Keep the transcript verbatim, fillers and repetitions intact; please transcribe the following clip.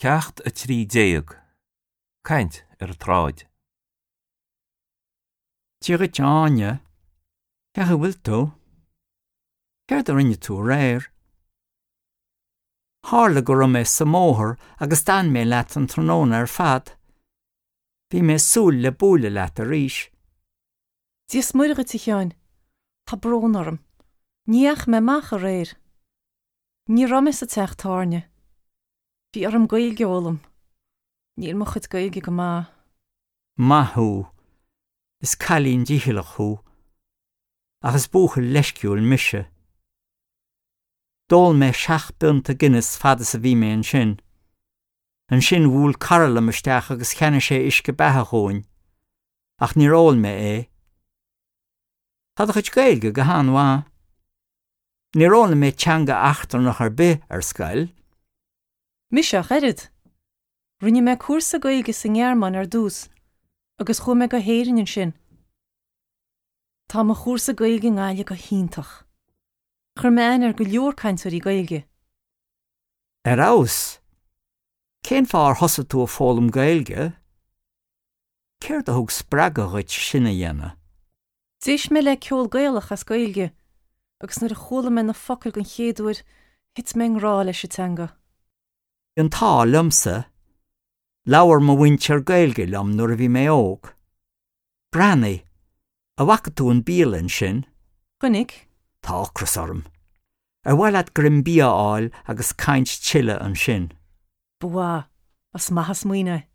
Ceacht a trí déag. Caint ar an tsráid. Dia dhuit Áine, Cén chaoi a bhfuil tú? Céard a rinne tú aréir? Tharla go raibh mé sa mbóthar agus d'fhan mé leat an tráthnóna ar fad. Bhí mé ag súil le bualadh leat arís. Dia is Muire dhuit a Sheáin, Tá brón orm. Ní dheachaigh mé amach aréir. Ní raibh mé sa teach tábhairne. Bhí orm Gaeilge a fhoghlaim. Níl mo chuid Gaeilge go maith. Maith thú, is cailín dícheallach thú, ach is buachaill leisciúil mise. D'ól mé seacht bpionta Guinness fad is a bhí mé ansin. Ansin bhuail cara liom isteach agus cheannaigh sé uisce beatha dhúinn, ach níor ól mé é. Tá do chuid Gaeilge go han-mhaith. Níor fhoghlaim mé teanga eachtrannach ar bith ar scoil. Mise ach oiread. Rinne mé cúrsa Gaeilge sa nGearmáin ar dtús, agus chuaigh mé go hÉirinn ansin. Tá mo chúrsa Gaeilge i nGaillimh go hiontach. Chuir mé aithne ar go leor cainteoirí Gaeilge. Ar fheabhas, cén fáth ar thosaigh tú ag foghlaim Gaeilge? Céard a thug spreagadh dhuit sin a dhéanamh? D'éist mé le ceol Gaelach as Gaeilge, agus nuair a chuala mé na focail den chéad uair, thit mé i ngrá leis an teanga. An t-ádh liomsa, labhair mo mhuintir Gaeilge liom nuair a bhí mé óg. Breathnaigh, an bhfaca tú an bhialann sin? Chonaic? Tá ocras orm. Ar mhaith leat greim bia a fháil agus caint tuilleadh ansin. Ba mhaith, is maith an smaoineamh.